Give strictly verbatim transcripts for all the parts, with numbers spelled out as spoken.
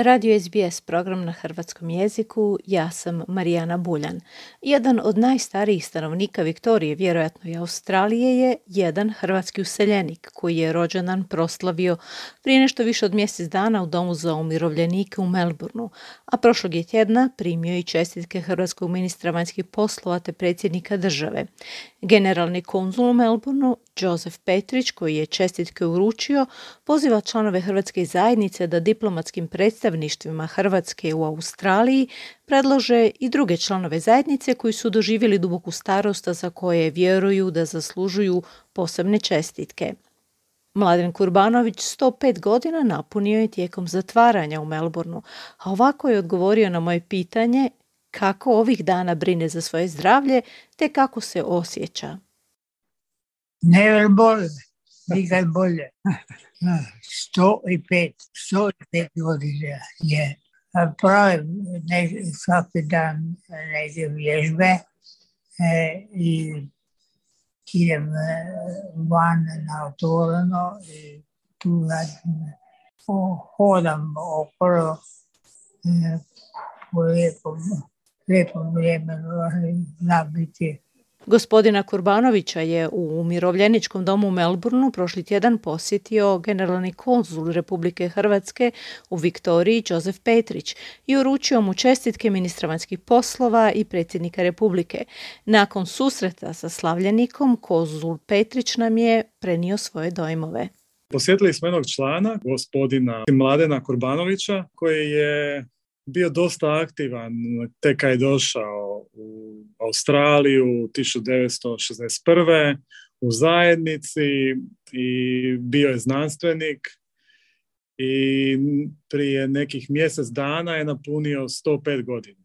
Radio S B S program na hrvatskom jeziku, ja sam Marijana Buljan. Jedan od najstarijih stanovnika Viktorije, vjerojatno i Australije, je jedan hrvatski useljenik koji je rođendan proslavio prije nešto više od mjesec dana u domu za umirovljenike u Melbourneu, a prošlog je tjedna primio i čestitke hrvatskog ministra vanjskih poslova te predsjednika države. Generalni konzul u Melbourneu, Joseph Petrić, koji je čestitke uručio, poziva članove hrvatske zajednice da diplomatskim predstavništvima Hrvatske u Australiji predlože i druge članove zajednice koji su doživjeli duboku starost, a za koje vjeruju da zaslužuju posebne čestitke. Mladen Kurbanović sto pet godina napunio je tijekom zatvaranja u Melbourneu, a ovako je odgovorio na moje pitanje kako ovih dana brine za svoje zdravlje te kako se osjeća. Never bolje, nikad bolje. sto pet, sto pet godina je. Pravim ne, svaki dan neke vježbe e, i idem van na otvoreno i tu radim, hodam okolo e, po lijepom, lijepom vremenu, zna biti. Gospodina Kurbanovića je u umirovljeničkom domu u Melbourneu prošli tjedan posjetio generalni konzul Republike Hrvatske u Viktoriji Joseph Petrić i uručio mu čestitke ministra vanjskih poslova i predsjednika Republike. Nakon susreta sa slavljenikom, konzul Petrić nam je prenio svoje dojmove. Posjetili smo jednog člana, gospodina Mladena Kurbanovića, koji je bio dosta aktivan tek kad je došao u Australiju tisuću devetsto šezdeset prve u zajednici i bio je znanstvenik i prije nekih mjesec dana je napunio sto pet godina.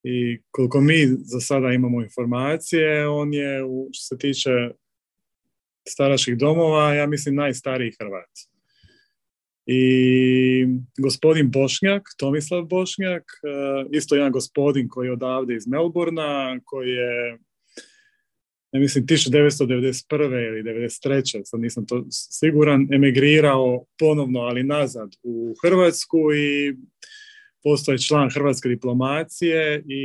I koliko mi za sada imamo informacije, on je, što se tiče staračkih domova, ja mislim najstariji Hrvat. I gospodin Bošnjak, Tomislav Bošnjak, isto jedan gospodin koji je odavde iz Melbournea, koji je, ja mislim, tisuću devetsto devedeset prve ili devedeset treće sad nisam to siguran, emigrirao ponovno, ali nazad u Hrvatsku i postao je član hrvatske diplomacije i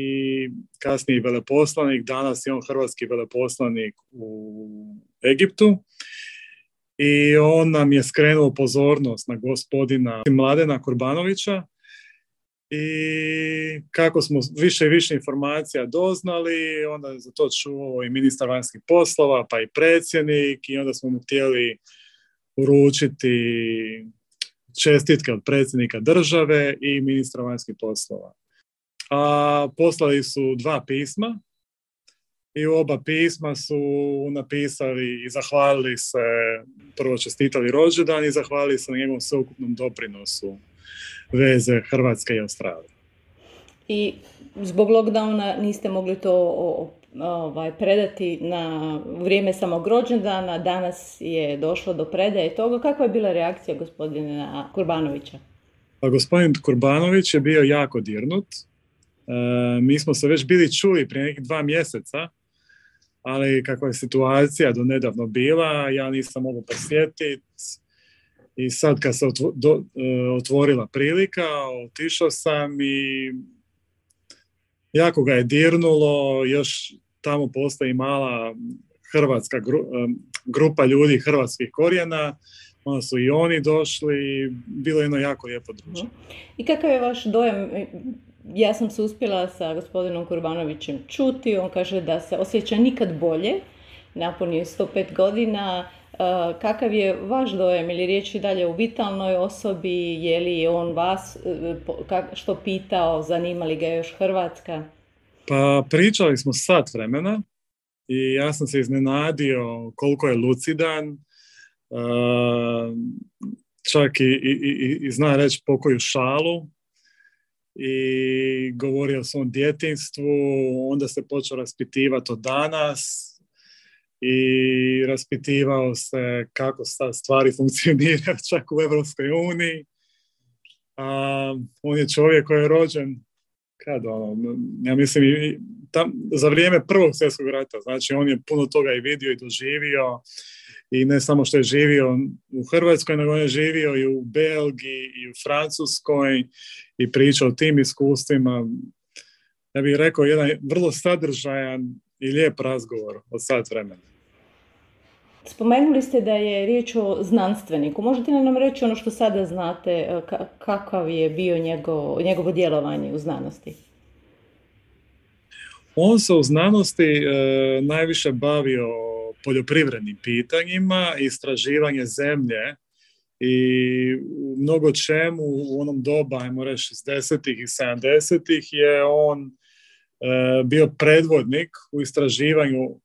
kasnije veleposlanik. Danas je on hrvatski veleposlanik u Egiptu. I on nam je skrenuo pozornost na gospodina Mladena Kurbanovića i kako smo više i više informacija doznali, onda je za to čuo i ministar vanjskih poslova, pa i predsjednik, i onda smo mu htjeli uručiti čestitke od predsjednika države i ministra vanjskih poslova. A poslali su dva pisma. I u oba pisma su napisali i zahvalili se, prvo čestitali rođendan i zahvalili se na njegovom sveukupnom doprinosu veze Hrvatske i Australije. I zbog lockdowna niste mogli to ovaj, predati na vrijeme samog rođendana, danas je došlo do predaje toga. Kakva je bila reakcija gospodina Kurbanovića? Pa gospodin Kurbanović je bio jako dirnut. E, mi smo se već bili čuli prije nekih dva mjeseca, ali kakva je situacija do nedavno bila, ja nisam mogao posjetiti i sad kad se otvo, do, otvorila prilika, otišao sam i jako ga je dirnulo. Još tamo postoji mala hrvatska gru, grupa ljudi hrvatskih korijena, onda su i oni došli i bilo je jedno jako lijepo druženje. I kakav je vaš dojam? Ja sam se uspjela sa gospodinom Kurbanovićem čuti, on kaže da se osjeća nikad bolje, napunio je sto pet godina. Kakav je vaš dojam ili riječ i dalje u vitalnoj osobi, je li on vas što pitao, zanima li ga još Hrvatska? Pa pričali smo sat vremena i ja sam se iznenadio koliko je lucidan, čak i, i, i, i zna reći pokoju šalu. I govorio o svom djetinjstvu, onda se počeo raspitivati o danas i raspitivao se kako stvari funkcioniraju čak u Evropskoj uniji. A, on je čovjek koji je rođen kad ono, ja mislim tam, za vrijeme Prvog svjetskog rata, znači on je puno toga i vidio i doživio i ne samo što je živio u Hrvatskoj, nego je živio i u Belgiji i u Francuskoj i pričao o tim iskustvima. Ja bih rekao jedan vrlo sadržajan i lijep razgovor od sat vremena. Spomenuli ste da je riječ o znanstveniku. Možete li nam reći ono što sada znate, kakav je bio njegov, njegovo djelovanje u znanosti? On se u znanosti e, najviše bavio poljoprivrednim pitanjima, istraživanje zemlje i u mnogo čemu u onom doba, ajmo reći šezdesetih i sedamdesetih je on e, bio predvodnik u istraživanju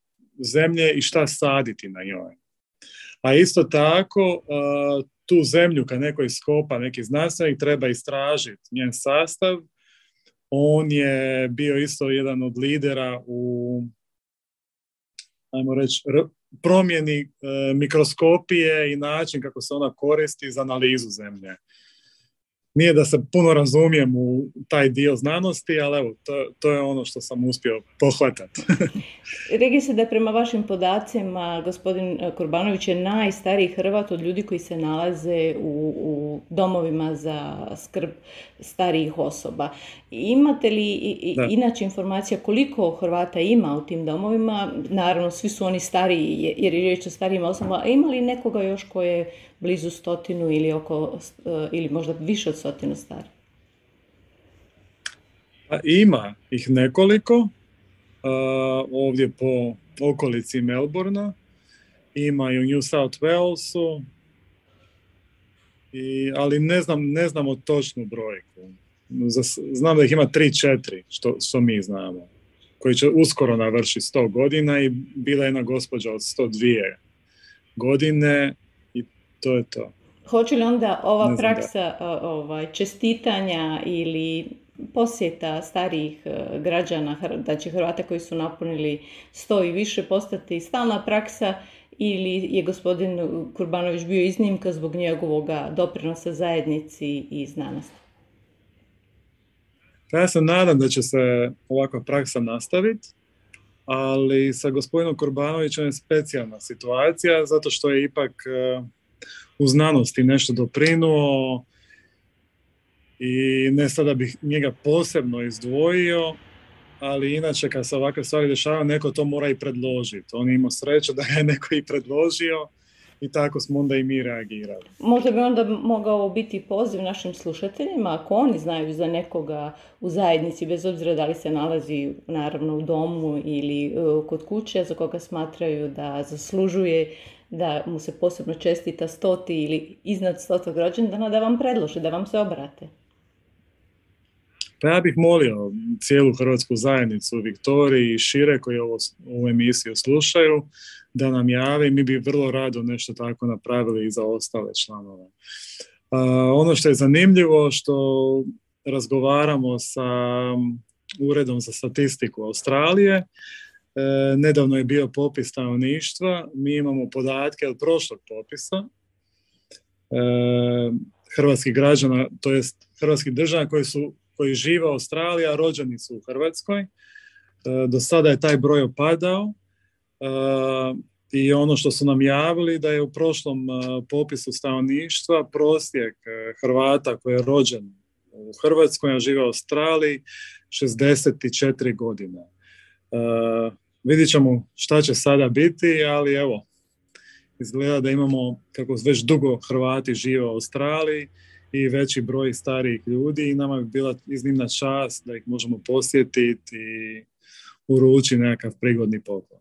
zemlje i šta saditi na njoj. A isto tako, tu zemlju kad neko iskopa, neki znanstvenik, treba istražiti njen sastav. On je bio isto jedan od lidera u, ajmo reći, promjeni mikroskopije i način kako se ona koristi za analizu zemlje. Nije da se puno razumijem u taj dio znanosti, ali evo, to, to je ono što sam uspio pohvatati. Rekli se da prema vašim podacima gospodin Kurbanović je najstariji Hrvat od ljudi koji se nalaze u, u domovima za skrb starijih osoba. Imate li i, Da. inače informacija koliko Hrvata ima u tim domovima? Naravno, svi su oni stariji jer je riječ o starijim osobama. A ima li nekoga još ko je blizu stotinu ili, oko, ili možda više od stotinu stari? Pa ima ih nekoliko uh, ovdje po okolici Melbourna. Ima i u New South Walesu, i, ali ne znam, ne znamo točnu brojku. Znam da ih ima tri četiri, što, što mi znamo, koji će uskoro navršiti sto godina i bila je jedna gospođa od sto dvije godine i to je to. Hoće li onda ova praksa ovaj, čestitanja ili posjeta starijih građana, znači Hrvata koji su napunili sto i više, postati stalna praksa ili je gospodin Kurbanović bio iznimka zbog njegovog doprinosa zajednici i znanosti? Ja se nadam da će se ovakva praksa nastaviti, ali sa gospodinom Kurbanovićem je specijalna situacija zato što je ipak u znanosti nešto doprinuo i ne sada bih njega posebno izdvojio, ali inače kad se ovakve stvari dešavaju, neko to mora i predložiti. On je imao sreću da ga je neko i predložio i tako smo onda i mi reagirali. Možda bi onda mogao biti poziv našim slušateljima, ako oni znaju za nekoga u zajednici, bez obzira da li se nalazi naravno u domu ili uh, kod kuće, za koga smatraju da zaslužuje da mu se posebno čestita stoti ili iznad stotog rođendana, da vam predlože, da vam se obrate. Pa ja bih molio cijelu hrvatsku zajednicu u Viktoriji i šire koji ovo, ovu emisiju slušaju da nam jave. Mi bi vrlo rado nešto tako napravili i za ostale članove. Uh, ono što je zanimljivo što razgovaramo sa Uredom za statistiku Australije. E, nedavno je bio popis stanovništva. Mi imamo podatke od prošlog popisa e, hrvatskih građana, to jest hrvatskih državljana koji su koji žive u Australiji, a rođeni su u Hrvatskoj. E, do sada je taj broj opadao e, i ono što su nam javili da je u prošlom e, popisu stanovništva prosjek e, Hrvata koji je rođen u Hrvatskoj, a žive u Australiji, šezdeset četiri godine. E, vidit ćemo šta će sada biti, ali evo, izgleda da imamo, kako već dugo Hrvati žive u Australiji, i veći broj starijih ljudi i nama bi bila iznimna čast da ih možemo posjetiti i uručiti nekakav prigodni poklon.